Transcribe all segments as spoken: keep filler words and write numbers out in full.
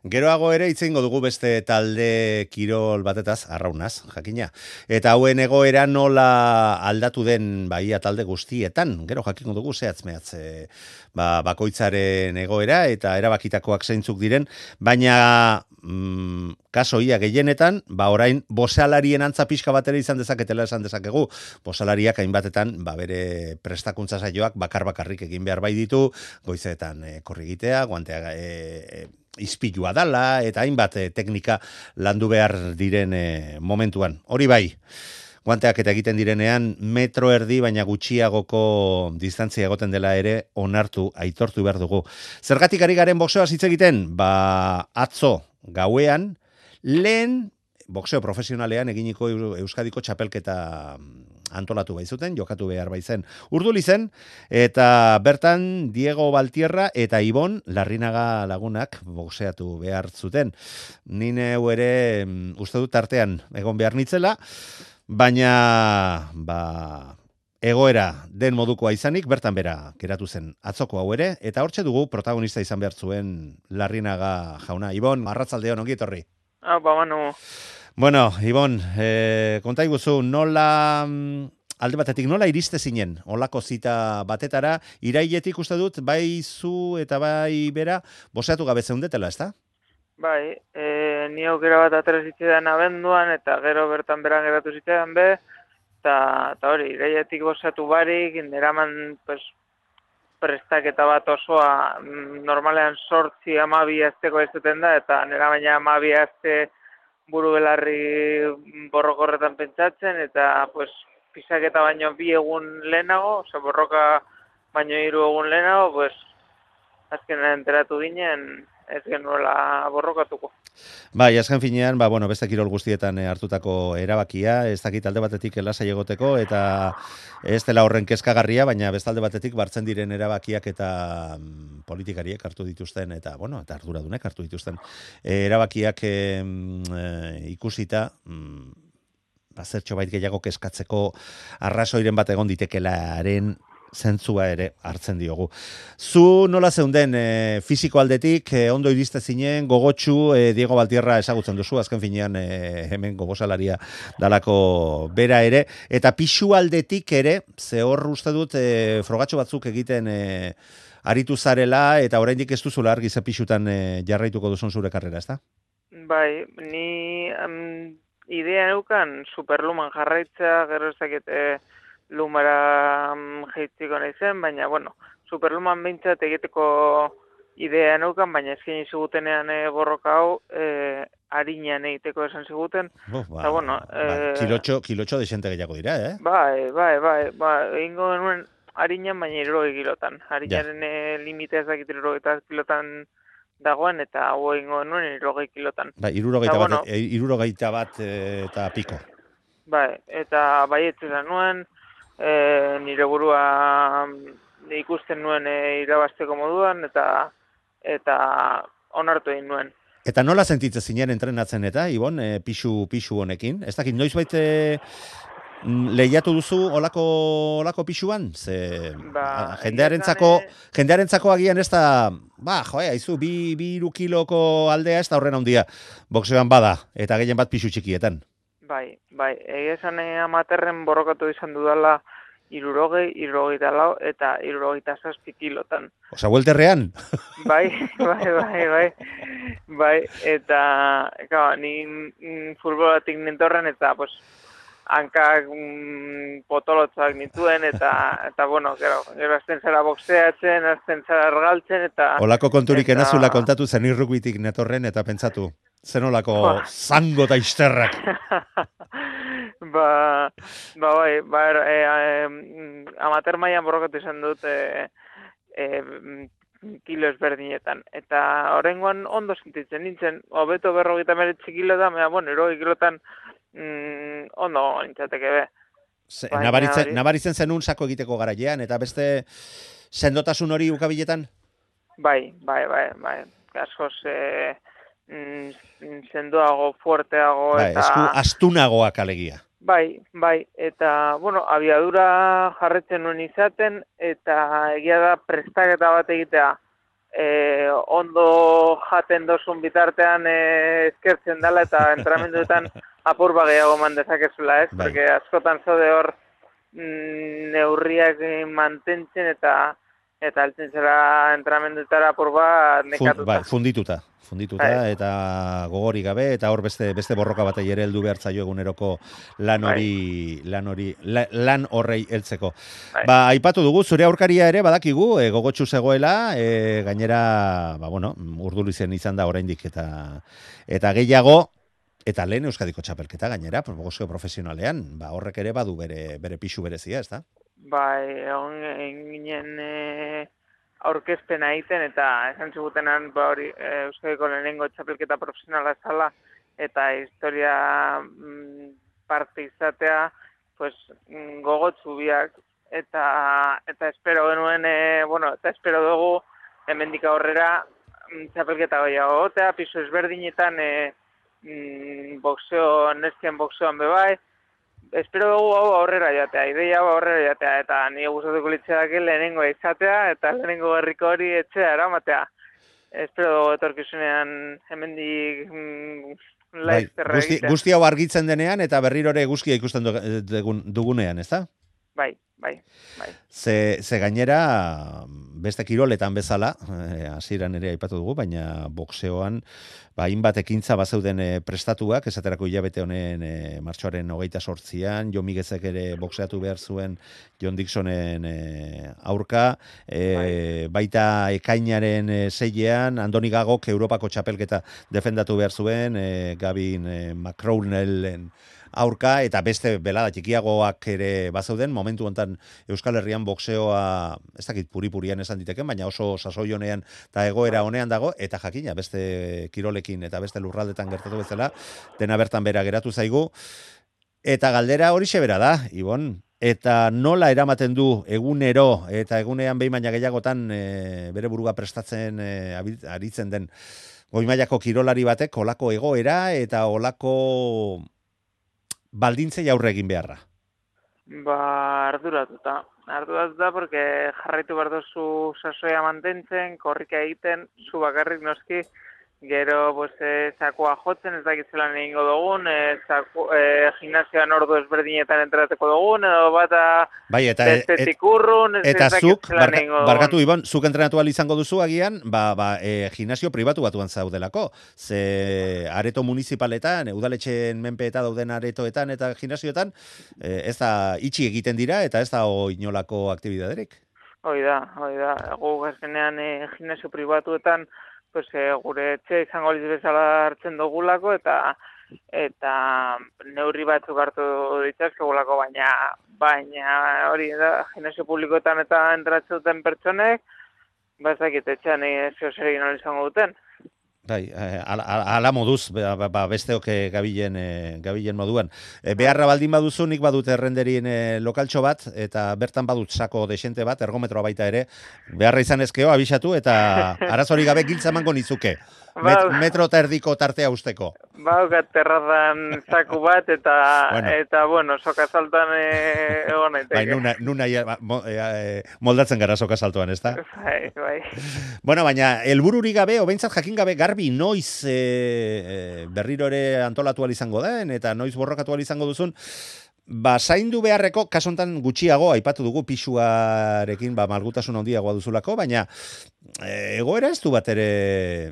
Geroago ere hitz egingo dugu beste talde kirol batetaz, arraunaz, jakina. Eta hauen egoera nola aldatu den baia talde guztietan. Gero jakingo dugu zehatz mehatz e, ba, bakoitzaren egoera eta erabakitakoak zeintzuk diren, baina mm, kaso ia gehienetan, ba orain bosalarien antza pixka batera izan dezaketela esan dezakegu. Bosalariak hainbatetan ba bere prestakuntza saioak bakar bakarrik egin behar bai ditu, goizetan e, korrigitea, guantea e, e, izpilua dala, eta hainbat e, teknika landu behar diren e, momentuan. Hori bai, guanteak eta egiten direnean metro erdi baina gutxiagoko distantzia egoten dela ere onartu, aitortu behar dugu. Zergatik ari garen boxeoaz hitz egiten? Ba, atzo gauean, lehen boxeo profesionalean eginiko Euskadiko txapelketa antolatu baizuten, jokatu behar baizen urduli zen, eta bertan Diego Baltierra eta Ibon Larrinaga lagunak boxeatu behar zuten. Nine ere uste dut tartean egon behar nitzela, baina ba, egoera den modukoa izanik, bertan bera geratu zen atzoko hau ere, eta hortxe dugu protagonista izan behar zuen Larrinaga jauna. Ibon, arratsaldeon ongi etorri. Ah, ba, manu. Bueno, Ibon, eh, konta iguzu, nola, alde batetik, nola iriste zinen, olako zita batetara, irailetik uste dut, bai zu eta bai bera, boseatu gabe zeundetela, ezta? Bai, e, ni aukera bat atera zitzaidan abenduan, eta gero bertan beran geratu zitzaidan be, eta, eta hori, irailetik bosatu barik, neraman, pues, prestaketa bat osoa, normalean sortzi amabi azteko ez duten da, eta nera baina amabi azte buru belarri borrokorretan pentsatzen, eta pues, pisaketa baino bi egun lehenago, oza, borroka baino hiru egun lehenago, pues, azkenean enteratu ginen, ez genuela borrokatuko. Bai, azken finean, ba, bueno, beste kirol guztietan eh, hartutako erabakia, ez dakit alde batetik lasai egoteko, eta ez dela horren kezkagarria, baina bestalde batetik bartzen diren erabakiak eta mm, politikariek hartu dituzten, eta, bueno, eta arduradunek hartu dituzten eh, erabakiak eh, mm, ikusita, mm, bazertxo bait gehiago kezkatzeko arrazoiren bat egon ditekelaren zentzua ere hartzen diogu. Zu nola zeunden e, fisiko aldetik, e, ondo iriste zinen, gogotsu, e, Diego Baltierra ezagutzen duzu, azken finean e, hemen gogosalaria dalako bera ere, eta pixu aldetik ere, ze hor uste dut, e, frogatxo batzuk egiten e, aritu zarela, eta oraindik ez duzula argi ze pixutan e, jarraituko duzun zure karrera, ezta? Bai, ni um, idea neukan superluman jarraitza, gero ez dakit e, lumara um, jeitziko nahi zen, baina, bueno, superluman behintzat egiteko idea neukan, baina ezkin zigutenean e, borroka hau, e, harinean egiteko esan ziguten. Oh, ba, Eta, bueno, ba, e, kilotxo, kilotxo desente gehiago dira, eh? bai, bai, bai, bai, egingo genuen harinean, baina irurogei kilotan. Ja. Harinaren e, limitea ez dakit irurogei kilotan dagoen, eta hau egingo genuen irurogei kilotan. Ba, irurogeita bat, bueno, e, irurogeita bat e, eta piko. bai, eta bai etzera nuen, e, nire burua ikusten nuen e, irabazteko moduan, eta eta onartu egin nuen. Eta nola sentitzen zinen entrenatzen eta, Ibon, e, pixu, pixu honekin? Ez dakit, noiz baite lehiatu duzu olako, olako pixuan? Ze, Ba, jendearentzako, e... jendearentzako agian ez da, ba, joe, haizu, bi, bi iru kiloko aldea ez da horren handia boxeoan bada, eta gehien bat pixu txikietan. Bai, bai, egia esan amaterren borrokatu izan dudala irurogei, irurogeita lau eta irurogeita zazpi kilotan. Osa, welterrean? Bai, bai, bai, bai, bai, eta, kaba, ni mm, futbolatik nintorren eta, pues, hankak mm, potolotzak nituen, eta, eta bueno, gero, gero azten zara boxeatzen, azten zara argaltzen, eta... Olako konturik eta... enazula kontatu zen irrukbitik netorren, eta pentsatu, zen olako zango eta izterrak. ba, ba, bai, ba, e, e, amater mailan borrokatu izan dut e, e, kilo ezberdinetan. Eta horrengoan ondo sentitzen nintzen, hobeto berrogeita meretzi kilotan, baina, bueno, irogei kilotan mm, ondo nintzateke be. Se, nabaritzen, nabaritzen zenun sako egiteko garailean, eta beste sendotasun hori ukabiletan? Bai, bai, bai, bai. Askoz e, mm, sendoago, fuerteago, bai, eta... esku astunagoak alegia. Bai, bai, eta, bueno, abiadura jarretzen nuen izaten, eta egia da prestaketa bat egitea e, ondo jaten dozun bitartean e, eskertzen dela eta entramenduetan apur gehiago man dezakezula, ez? Bai. Porque askotan zaude hor mm, neurriak mantentzen eta eta altzen zera entramendutara apur bat nekatuta. Fun, bai, fundituta. Fundituta Bai. eta gogori gabe eta hor beste beste borroka batei ere heldu behar zaio eguneroko lan hori lan hori la, lan horrei heltzeko. Bai. Ba, aipatu dugu zure aurkaria ere badakigu e, gogotsu zegoela, e, gainera ba bueno, Urdulizen izan da oraindik eta eta gehiago eta lehen Euskadiko txapelketa gainera, boxeo profesionalean, ba horrek ere badu bere bere pisu berezia, ezta? Bai, egon ginen e, aurkezpena egiten eta esan zigutenan ba hori e, Euskadiko lehenengo txapelketa profesionala zala eta historia mm, parte izatea pues mm, gogotsu biak eta eta espero genuen e, bueno, eta espero dugu hemendik aurrera mm, txapelketa gehiago egotea, pisu ezberdinetan e, mm, boxeo, neskien boxeoan bebai. Espero dugu hau aurrera jatea, ideia hau aurrera jatea, eta nire gustatuko litzeak lehenengo izatea, eta lehenengo herriko hori etxea eramatea. Espero dugu etorkizunean hemendik mm, Bai, laizterra guzti, egitea. guzti hau argitzen denean eta berriro ere eguzkia ikusten dugun, dugunean, ezta? Bai, bai, bai. Ze, ze gainera, beste kiroletan bezala, hasieran ere aipatu dugu, baina boxeoan, ba, hainbat ekintza bazeuden e, prestatuak, esaterako hilabete honen e, martxoaren hogeita sortzian, Jon Miguezek ere boxeatu behar zuen John Dixonen e, aurka, e, bai. Baita ekainaren e, seilean, Andoni Gagok Europako txapelketa defendatu behar zuen, e, Gavin e, McCrownellen aurka, eta beste belada txikiagoak ere bazeuden, momentu hontan Euskal Herrian boxeoa, ez dakit puri-purian esan diteken, baina oso sasoi honean eta egoera honean dago, eta jakina beste kirolekin eta beste lurraldetan gertatu bezala, dena bertan bera geratu zaigu, eta galdera hori bera da, Ibon, eta nola eramaten du egunero, eta egunean behin baina gehiagotan e, bere buruga prestatzen e, aritzen den goi-mailako kirolari batek, olako egoera eta olako baldintzei aurre egin beharra? Ba, arduratuta. Arduratuta, porque jarraitu behar duzu sasoia mantentzen, korrika egiten, zu bakarrik noski, gero, pues, e, sakoa jotzen, ez dakit zelan egingo dugun, e, saku, e, gimnasioan ordu ezberdinetan entrateko dugun, edo bata bai, eta, bestetik urrun, ez, eta ez dakit zuk, zelan barka, egingo dugun. barkatu Ibon, zuk entrenatu ahal izango duzu agian, ba, ba, e, gimnasio pribatu batuan zaudelako, ze areto municipaletan, udaletxeen menpeeta dauden aretoetan eta gimnasioetan, e, ez da itxi egiten dira, eta ez da inolako aktibidaderik. Hoi da, hoi da, gu gazkenean e, gimnasio pribatuetan, pues, e, gure etxe izango liz bezala hartzen dugulako, eta eta neurri batzuk hartu ditzazkegulako, baina baina hori da, gimnasio publikoetan eta entratzen duten pertsonek, ba ez dakit etxean zeo zer egin izango duten. Bai, ala, ala moduz, ba, ba, besteok gabilen, e, gabilen moduan. E, beharra baldin baduzu, nik badut errenderien e, lokaltxo bat, eta bertan badut sako desente bat, ergometroa baita ere, beharra izan ezkeo, abisatu, eta arazori gabe giltza emango nizuke. Met, metro eta erdiko tartea usteko. Baukat terrazan zaku bat, eta, bueno. eta bueno, soka saltan e, egon naiteke. Bai, nuna, nuna ja, mo, e, moldatzen gara soka saltuan, ez da? Bai, bai. Bueno, baina, helbururi gabe, obentzat jakin gabe, garbi, noiz e, e, berriro ere antolatu izango den, eta noiz borrokatu izango duzun, ba, zaindu beharreko, kasontan gutxiago, aipatu dugu pisuarekin, ba, malgutasun handiagoa duzulako, baina e, egoera ez du bat ere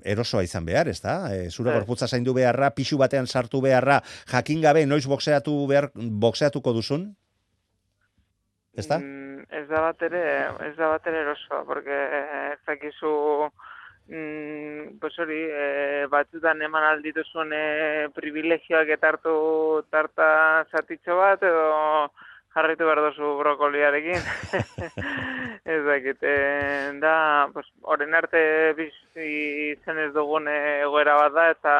erosoa izan behar, ez da? E, zure gorputza zaindu beharra, pixu batean sartu beharra, jakin gabe, noiz boxeatu behar, boxeatuko duzun? Ez da? Mm, ez da bat ere, ez da bat ere erosoa, porque ez dakizu Mm, pues hori, e, batzutan eman aldituzun e, privilegioak eta hartu tarta zatitxo bat, edo jarritu behar duzu brokoliarekin. Ez dakit, e, da, pues, oren arte bizi zen ez dugun egoera bat da, eta,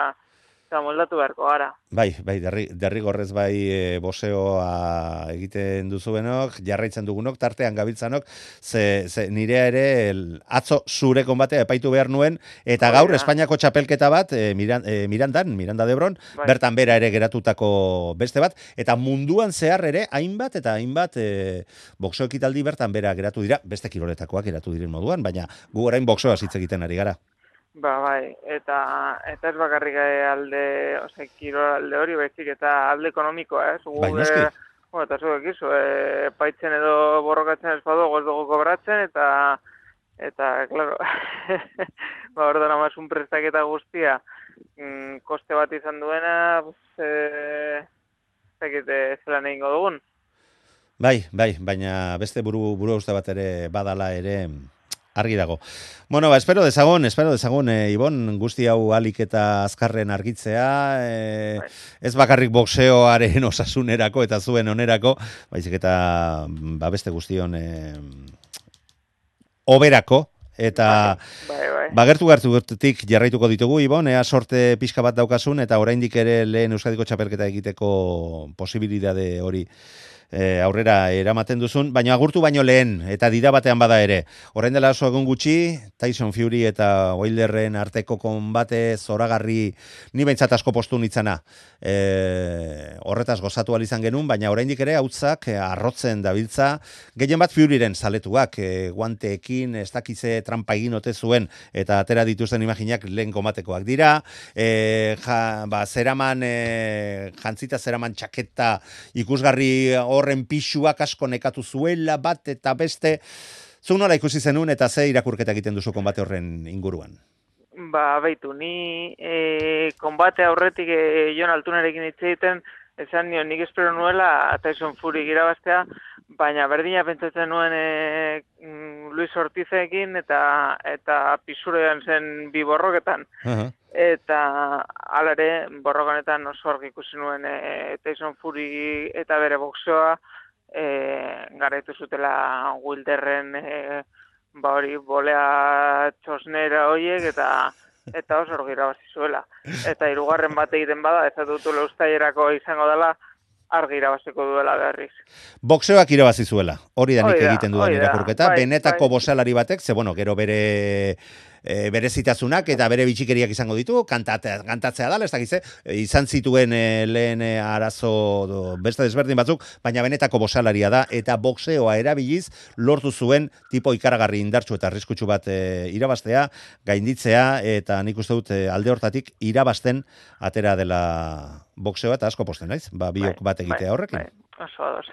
eta eta moldatu beharko gara. Bai, bai, derri, derrigorrez bai e, boseoa egiten duzuenok, jarraitzen dugunok, tartean gabiltzanok, ze, ze nirea ere el, atzo zure konbatea epaitu behar nuen, eta gaur Oida. Espainiako txapelketa bat, e, Miran, e, Mirandan, Miranda de Ebron, Bai. bertan bera ere geratutako beste bat, eta munduan zehar ere, hainbat eta hainbat e, boxeo ekitaldi bertan bera geratu dira, beste kiroletakoak geratu diren moduan, baina gu orain boxeoa hitz egiten ari gara. Ba, bai, eta eta ez bakarrik alde, ose, kirol alde hori, baizik eta alde ekonomikoa, ez? Bai, noski. Bueno, eta zuek izu, e, paitzen edo borrokatzen ez badugu ez dugu kobratzen, eta, eta, klaro, ba, ordan amazun prestaketa guztia, mm, koste bat izan duena, pues, e, zekite zelan egingo dugun. Bai, bai, baina beste buru, buru uste bat ere badala ere argi dago. Bueno, ba, espero dezagun, espero dezagun, e, Ibon, guzti hau alik eta azkarren argitzea, e, ez bakarrik boxeoaren osasunerako eta zuen onerako, baizik eta ba, beste guztion e, oberako, eta bai, bai. bagertu gertutik jarraituko ditugu, Ibon, ea sorte pixka bat daukasun, eta oraindik ere lehen Euskadiko txapelketa egiteko posibilitate hori E, aurrera eramaten duzun, baina agurtu baino lehen, eta dira batean bada ere. Orain dela oso egun gutxi, Tyson Fury eta Wilderren arteko konbate zoragarri ni behintzat asko postu nitzana. E, horretaz gozatu izan genuen, baina oraindik ere hautzak e, arrotzen dabiltza, gehien bat Furyren zaletuak, e, guanteekin, ez dakize trampa egin ote zuen, eta atera dituzten imaginak lehen konbatekoak dira, e, ja, ba, zeraman, e, jantzita zeraman txaketa ikusgarri horren pixuak asko nekatu zuela bat eta beste, zu nola ikusi zenun eta ze irakurketa egiten duzu konbate horren inguruan? Ba, beitu, ni e, konbate aurretik e, Jon Altunerekin hitz egiten, esan nion nik espero nuela Tyson Fury irabaztea, baina berdina pentsatzen nuen e, Luis Ortizekin eta eta pisurean zen bi borroketan. Uh-huh. Eta alare, borrokanetan oso argi ikusi nuen e, Tyson Fury eta bere boxeoa e, garaitu zutela Wilderren e, ba hori bolea txosnera horiek eta eta oso argi irabazi zuela. Eta hirugarren bat egiten bada, ez dut ustailerako izango dela, argi irabaziko duela berriz. Boxeoak irabazi zuela, hori da nik Oida, egiten dudan oida, irakurketa, bai, benetako bai. boxealari batek, ze bueno, gero bere e, berezitasunak eta bere bitxikeriak izango ditu, kantatzea, kantatzea dala, ez dakize, izan zituen e, lehen e, arazo do, beste desberdin batzuk, baina benetako boxealaria da, eta boxeoa erabiliz lortu zuen tipo ikaragarri indartsu eta arriskutsu bat e, irabaztea, gainditzea, eta nik uste dut e, alde hortatik irabazten atera dela boxeoa, eta asko posten naiz, ba, biok bat egitea horrekin. Bai, oso ados.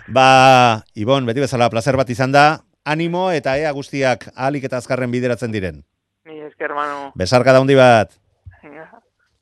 Ba, Ibon, beti bezala placer bat izan da, animo eta ea guztiak ahalik eta azkarren bideratzen diren. Ni esker, Manu. Besarka da handi bat.